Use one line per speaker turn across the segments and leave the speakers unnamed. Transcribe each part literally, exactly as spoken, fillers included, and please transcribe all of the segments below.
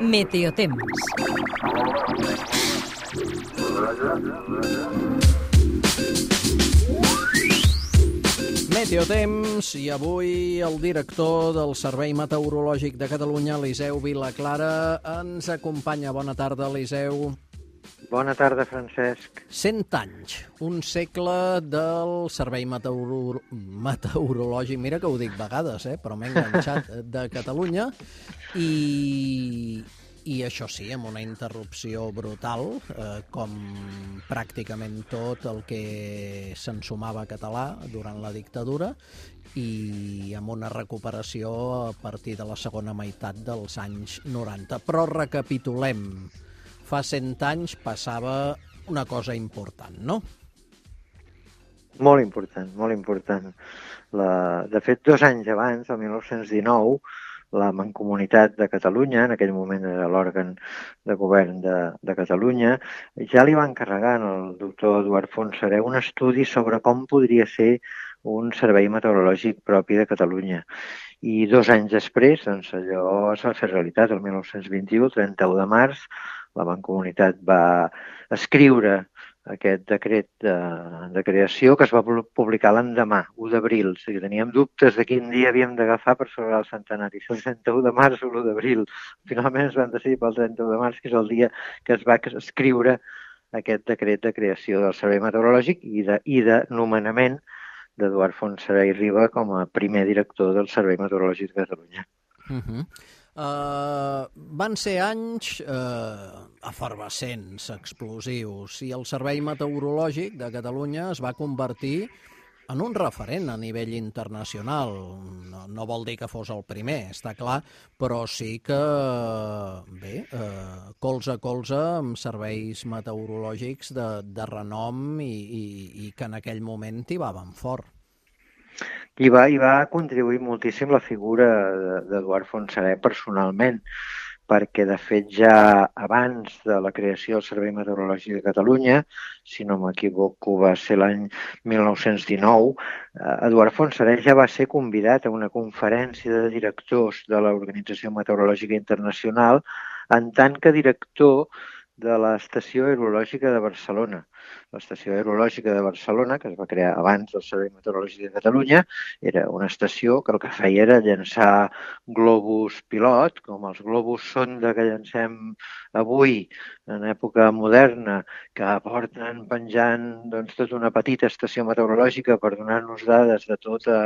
Meteotemps.
Meteotemps, i avui el director del Servei Meteorològic de Catalunya, Eliseu Vilaclara, ens acompanya. Bona tarda, Eliseu.
Bona tarda, Francesc.
Cent anys, un segle del Servei Meteoro... Meteorològic, mira que ho dic vegades, eh? Però m'he enganxat, de Catalunya, i... I això sí, amb una interrupció brutal, eh, com pràcticament tot el que s'ensumava català durant la dictadura, i amb una recuperació a partir de la segona meitat dels anys noranta. Però recapitulem. Fa cent anys passava una cosa important, no?
Molt important, molt important. La... De fet, dos anys abans, el mil nou-cents dinou, la Mancomunitat de Catalunya, en aquell moment era l'òrgan de govern de, de Catalunya, ja li va encarregar al doctor Eduard Fontserè un estudi sobre com podria ser un servei meteorològic propi de Catalunya. I dos anys després, doncs, allò es va fer realitat. El mil nou-cents vint-i-u, el trenta-u de març, la Mancomunitat va escriure aquest decret de, de creació, que es va publicar l'endemà, u d'abril. O sigui, teníem dubtes de quin dia havíem d'agafar per celebrar el centenari, si el trenta-u de març o l'u d'abril. Finalment es van decidir pel trenta-u de març, que és el dia que es va escriure aquest decret de creació del Servei Meteorològic i de, i de nomenament d'Eduard Fontserè i Riba com a primer director del Servei Meteorològic de Catalunya.
Uh-huh. Uh, van ser anys uh, efervescents, explosius, i el Servei Meteorològic de Catalunya es va convertir en un referent a nivell internacional. No, no vol dir que fos el primer, està clar, però sí que, bé, uh, colze a colze amb serveis meteorològics de, de renom i, i, i que en aquell moment tibaven fort.
I va, i va contribuir moltíssim la figura d'Eduard Fontserè personalment, perquè de fet ja abans de la creació del Servei Meteorològic de Catalunya, si no m'equivoco va ser l'any mil nou-cents dinou, Eduard Fontserè ja va ser convidat a una conferència de directors de l'Organització Meteorològica Internacional en tant que director de l'Estació Aerològica de Barcelona. L'Estació Aerològica de Barcelona, que es va crear abans del Servei Meteorològic de Catalunya, era una estació que el que feia era llançar globus pilot, com els globus sonda que llancem avui en època moderna, que porten penjant doncs, tota una petita estació meteorològica per donar-nos dades de tota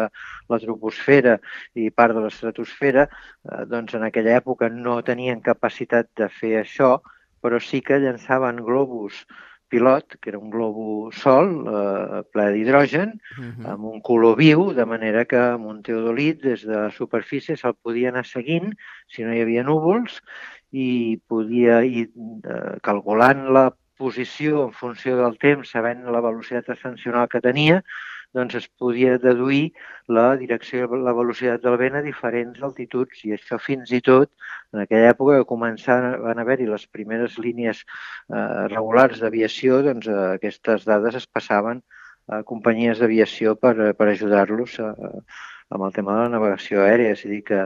la troposfera i part de l'estratosfera. Eh, doncs en aquella època no tenien capacitat de fer això, però sí que llançaven globus pilot, que era un globus sol, eh, ple d'hidrogen, uh-huh. amb un color viu, de manera que amb un teodolit des de la superfície se'l podia anar seguint si no hi havia núvols i podia ir eh, calculant la posició en funció del temps, sabent la velocitat ascensional que tenia, doncs es podia deduir la direcció i la velocitat del vent a diferents altituds, i això fins i tot en aquella època que començaven a haver-hi les primeres línies eh, regulars d'aviació, doncs eh, aquestes dades es passaven a companyies d'aviació per, per ajudar-los a, amb el tema de la navegació aèria. És a dir, que,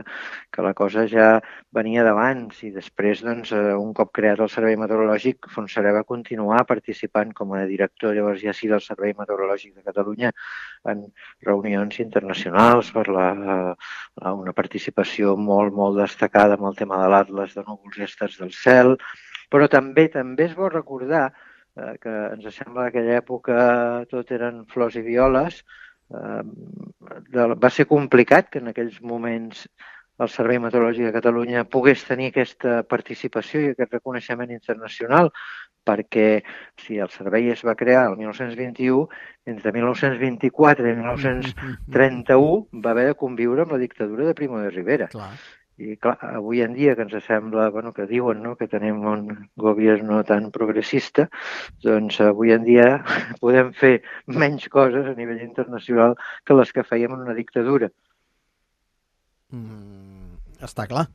que la cosa ja venia d'abans, i després, doncs, un cop creat el Servei Meteorològic, Fontserè va continuar participant com a director, llavors ja sí, del Servei Meteorològic de Catalunya en reunions internacionals per la, la, una participació molt, molt destacada amb el tema de l'Atles de núvols i estels del cel, però també també és bo recordar eh, que ens sembla que aquella època tot eren flors i violes. Uh, va ser complicat que en aquells moments el Servei Meteorològic de Catalunya pogués tenir aquesta participació i aquest reconeixement internacional, perquè si el servei es va crear el mil nou-cents vint-i-u, entre mil nou-cents vint-i-quatre i mil nou-cents trenta-u va haver de conviure amb la dictadura de Primo de Rivera.
Clar.
I clar, avui en dia que ens sembla, bueno, que diuen, no?, que tenim un govern no tan progressista, doncs avui en dia podem fer menys coses a nivell internacional que les que fèiem en una dictadura.
Mm, està clar.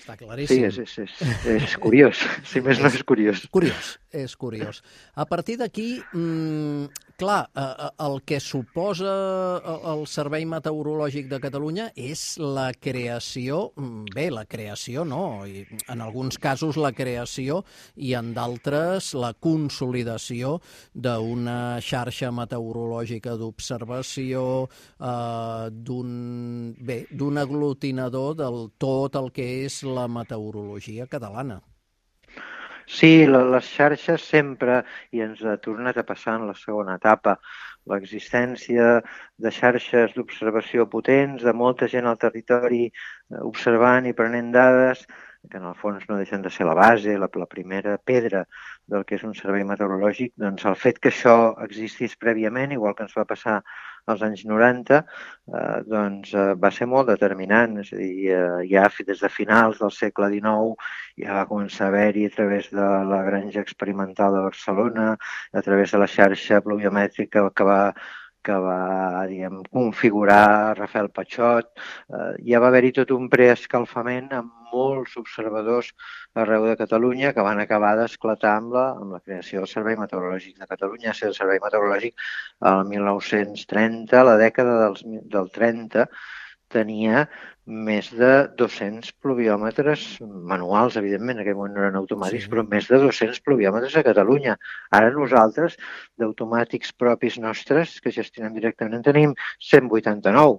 Està claríssim.
Sí, és, és, és, és curiós. Si més no és curiós.
Curiós. és curiós. A partir d'aquí, mmm, clar, eh, el que suposa el Servei Meteorològic de Catalunya és la creació, bé, la creació no, i en alguns casos la creació i en d'altres la consolidació d'una xarxa meteorològica d'observació, eh, d'un, bé, d'un aglutinador del tot el que és la meteorologia catalana.
Sí, les xarxes sempre, i ens ha tornat a passar en la segona etapa, l'existència de xarxes d'observació potents, de molta gent al territori observant i prenent dades, que en el fons no deixen de ser la base, la, la primera pedra del que és un servei meteorològic, doncs el fet que això existís prèviament, igual que ens va passar als anys noranta, eh, doncs eh, va ser molt determinant. És a dir, eh, ja des de finals del segle dinou ja va començar a haver-hi a través de la granja experimental de Barcelona, a través de la xarxa pluviomètrica que va que va, diguem, configurar Rafael Patxot. Eh, ja va haver-hi tot un preescalfament amb molts observadors arreu de Catalunya que van acabar d'esclatar amb, la, amb la creació del Servei Meteorològic de Catalunya. El Servei Meteorològic el mil nou-cents trenta, la dècada dels, del trenta, tenia més de dos-cents pluviòmetres manuals, evidentment, en aquell moment no eren automàtics, sí. Però més de dos-cents pluviòmetres a Catalunya. Ara nosaltres, d'automàtics propis nostres, que gestionem directament, tenim cent vuitanta-nou.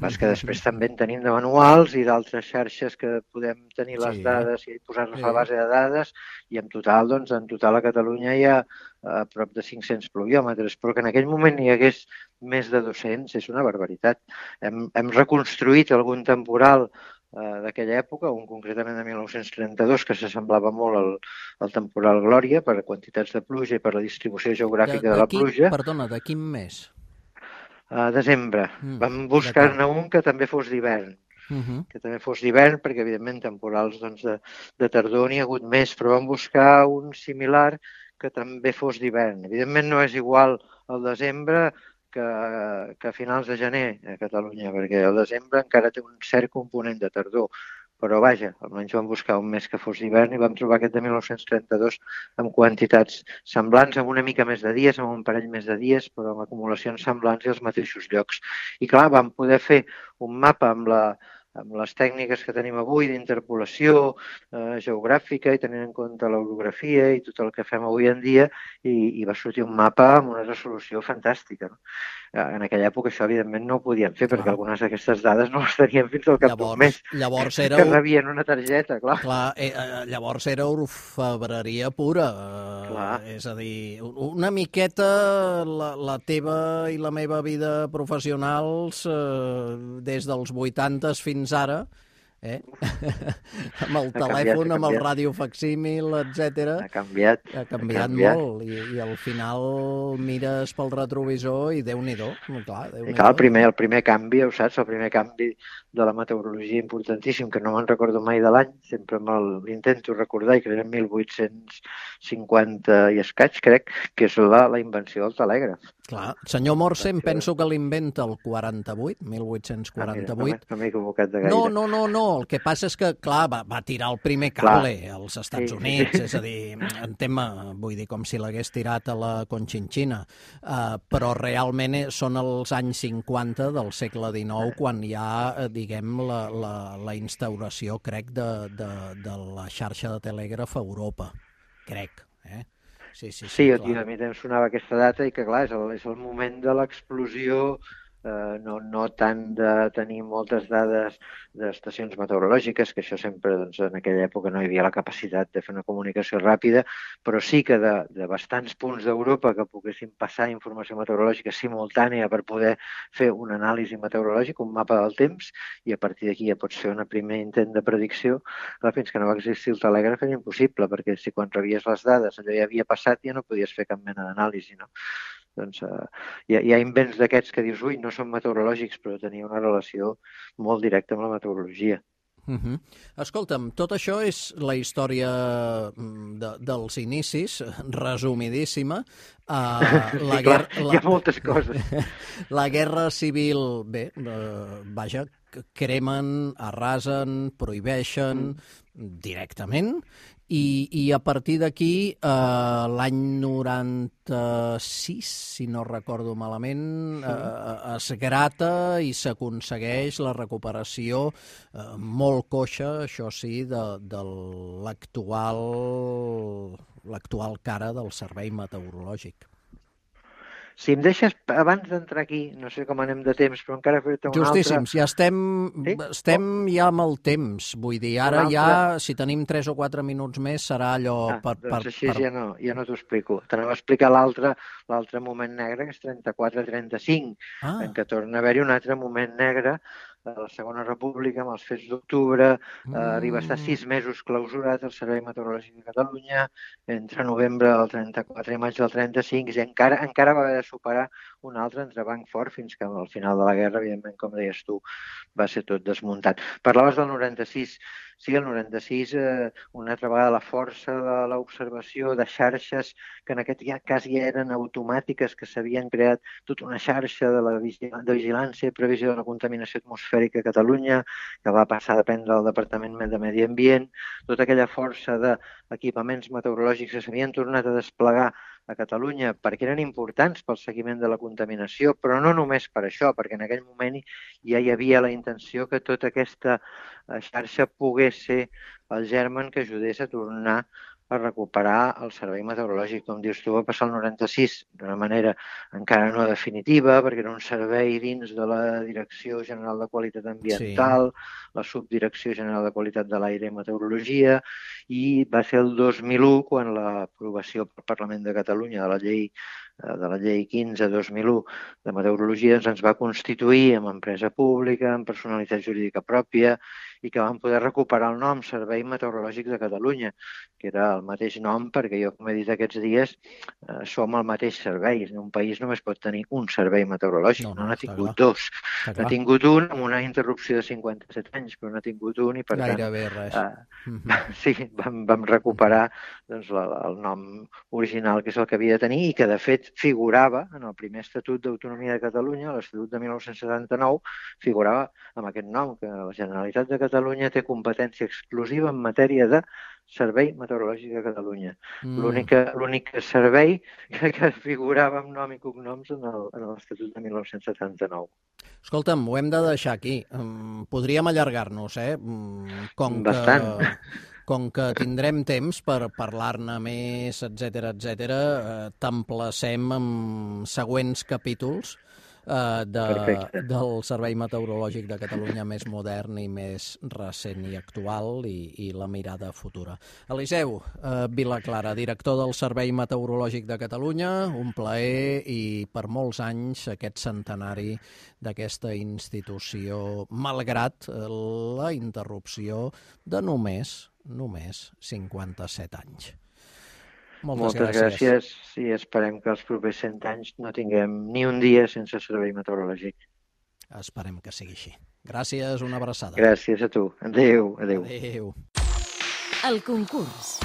Pas que després també en tenim de manuals i d'altres xarxes que podem tenir les sí. dades i posar-nos sí. a la base de dades, i en total, doncs, en total a Catalunya hi ha a prop de cinc-cents pluviòmetres, però que en aquell moment hi hagués més de dos-cents és una barbaritat. Hem, hem reconstruït algun temporal eh, d'aquella època, un concretament de mil nou-cents trenta-dos, que s'assemblava molt al, al temporal Glòria per quantitats de pluja i per la distribució geogràfica de, de, de la quin, pluja.
Perdona, de quin mes?
Uh, desembre. Mm, Vam buscar-ne un que també fos d'hivern. Uh -huh. que també fos d'hivern, perquè evidentment temporals doncs, de, de tardor n'hi ha hagut més, però vam buscar un similar que també fos d'hivern. Evidentment no és igual al desembre que, que a finals de gener a Catalunya, perquè el desembre encara té un cert component de tardor. Però vaja, almenys vam buscar un mes que fos d'hivern i vam trobar aquest de mil nou-cents trenta-dos amb quantitats semblants, amb una mica més de dies, amb un parell més de dies, però amb acumulacions semblants i als mateixos llocs. I clar, vam poder fer un mapa amb la amb les tècniques que tenim avui d'interpolació eh, geogràfica i tenint en compte l'orografia i tot el que fem avui en dia, i, i va sortir un mapa amb una resolució fantàstica. No? En aquella època això evidentment no ho podíem fer, clar, perquè algunes d'aquestes dades no les teníem fins al cap d'un mes.
Llavors era...
Que rebien una targeta, clar.
Clar, eh, llavors era orfebreria pura. Clar. És a dir, una miqueta la, la teva i la meva vida professionals eh, des dels vuitantes fins fins ara, eh? amb el ha telèfon, canviat, amb el radiofacsímil, etcètera.
Ha canviat.
Ha canviat, ha canviat. molt, i, i al final mires pel retrovisor i Déu-n'hi-do. Clar, Déu
I clar, el primer, el primer canvi, ho saps, el primer canvi de la meteorologia importantíssim, que no me'n recordo mai de l'any, sempre l'intento recordar, i crec en mil vuit-cents cinquanta i escaig, crec, que és la, la invenció del telègraf.
Clar, senyor Morse, em penso que l'inventa el quaranta-vuit, mil vuit-cents quaranta-vuit.
Ah, no m'he equivocat de gaire.
No, no, no, no, el que passa és que, clar, va, va tirar el primer cable clar. als Estats sí. Units, és a dir, en tema, vull dir, com si l'hagués tirat a la Conchinchina, uh, però realment són els anys cinquanta del segle dinou quan hi ha, diguem, la, la, la instauració, crec, de, de, de la xarxa de telègraf a Europa, crec, eh? Sí, sí, sí,
sí, sí a mi em sonava aquesta data i que, clar, és el, és el moment de l'explosió, eh, no, no tant de tenir moltes dades d'estacions meteorològiques, que això sempre, doncs, en aquella època no hi havia la capacitat de fer una comunicació ràpida, però sí que de, de bastants punts d'Europa que poguessin passar informació meteorològica simultània per poder fer una anàlisi meteorològica, un mapa del temps, i a partir d'aquí ja pots fer un primer intent de predicció. Clar, fins que no va existir el telègraf era impossible, perquè si quan rebies les dades allò ja havia passat ja no podies fer cap mena d'anàlisi, no? Doncs uh, hi, ha, hi ha invents d'aquests que dius, ui, no són meteorològics, però tenia una relació molt directa amb la meteorologia.
Uh -huh. Escolta'm, tot això és la història de, dels inicis, resumidíssima. Uh,
la sí, guerra, clar, la, hi ha moltes coses.
La guerra civil, bé, uh, vaja, cremen, arrasen, prohibeixen mm. directament, i, i a partir d'aquí, eh, l'any noranta-sis, si no recordo malament, eh, es grata i s'aconsegueix la recuperació eh, molt coixa, això sí, de, de l'actual l'actual cara del servei meteorològic.
Si em deixes, abans d'entrar aquí, no sé com anem de temps, però encara fer-te una
Justíssims,
altra...
ja estem,
sí?
estem ja amb el temps. Vull dir, ara
altra...
ja, si tenim tres o quatre minuts més, serà allò...
Ah,
per,
doncs
per,
així
per...
ja no, ja no t'ho explico. T'anava a explicar l'altre l'altre moment negre, que és trenta-quatre trenta-cinc,
Ah.
en què torna a haver-hi un altre moment negre de la Segona República, amb els fets d'octubre, mm. eh, arriba a estar sis mesos clausurat el Servei Meteorològic de Catalunya, entre novembre del trenta-quatre i maig del trenta-cinc, i encara, encara va haver de superar un altre entrebanc fort, fins que al final de la guerra, evidentment, com deies tu, va ser tot desmuntat. Parlaves del noranta-sis. Sí, el noranta-sis, eh, una altra vegada la força de l'observació de xarxes que en aquest cas ja eren automàtiques, que s'havien creat tota una xarxa de la de vigilància i previsió de la contaminació atmosfèrica a Catalunya, que va passar a dependre del Departament de Medi Ambient, tota aquella força d'equipaments meteorològics que s'havien tornat a desplegar a Catalunya perquè eren importants pel seguiment de la contaminació, però no només per això, perquè en aquell moment ja hi havia la intenció que tota aquesta xarxa pogués ser el germen que ajudés a tornar a recuperar el servei meteorològic. Com dius tu, va passar el noranta-sis d'una manera encara no definitiva, perquè era un servei dins de la Direcció General de Qualitat Ambiental, sí. la Subdirecció General de Qualitat de l'Aire i Meteorologia, i va ser el dos mil u quan l'aprovació pel Parlament de Catalunya de la llei de la llei quinze dos mil u de meteorologia ens va constituir amb empresa pública, amb personalitat jurídica pròpia, i que vam poder recuperar el nom Servei Meteorològic de Catalunya, que era el mateix nom perquè jo, com he dit aquests dies, eh, som el mateix servei. Un país només pot tenir un servei meteorològic, no, no n'ha tingut clar. dos. N'ha tingut un amb una interrupció de cinquanta-set anys, però n'ha tingut un i per
Gairebé
tant...
res.
Eh, mm-hmm. Sí, vam, vam recuperar doncs, la, el nom original, que és el que havia de tenir i que, de fet, figurava en el primer Estatut d'Autonomia de Catalunya, l'Estatut de mil nou-cents setanta-nou, figurava amb aquest nom, que la Generalitat de Catalunya té competència exclusiva en matèria de Servei Meteorològic de Catalunya. Mm. L'únic servei que, que figurava amb nom i cognoms en l'Estatut de mil nou-cents setanta-nou.
Escolta'm, ho hem de deixar aquí. Podríem allargar-nos, eh? Com
Bastant.
Que... Com que tindrem temps per parlar-ne més, etcètera, etcètera, eh, t'emplacem amb següents capítols eh, de, del Servei Meteorològic de Catalunya més modern i més recent i actual i, i la mirada futura. Eliseu eh, Vilaclara, director del Servei Meteorològic de Catalunya, un plaer i per molts anys aquest centenari d'aquesta institució, malgrat la interrupció de només només cinquanta-set anys. Moltes,
Moltes gràcies. gràcies i esperem que els propers cent anys no tinguem ni un dia sense servei meteorològic.
Esperem que sigui així. Gràcies, una abraçada.
Gràcies a tu. Adéu, adéu.
Adéu.
El concurs.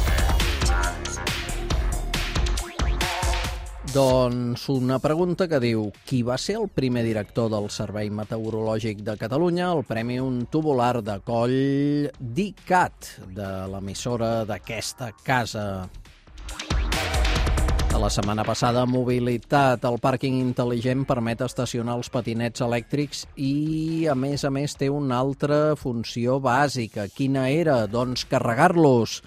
Doncs una pregunta que diu: qui va ser el primer director del Servei Meteorològic de Catalunya? El premi un tubular de coll d'I C A T, de l'emissora d'aquesta casa. De la setmana passada, mobilitat. El pàrquing intel·ligent permet estacionar els patinets elèctrics i, a més a més, té una altra funció bàsica. Quina era? Doncs carregar-los.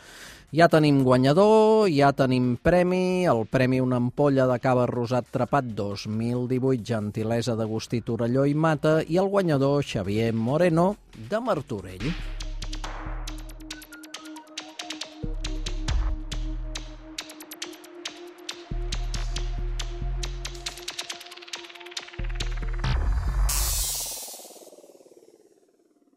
Ja tenim guanyador, ja tenim premi, el premi una ampolla de cava rosat trepat dos mil divuit, gentilesa d'Agustí Torelló i Mata, i el guanyador Xavier Moreno de Martorell.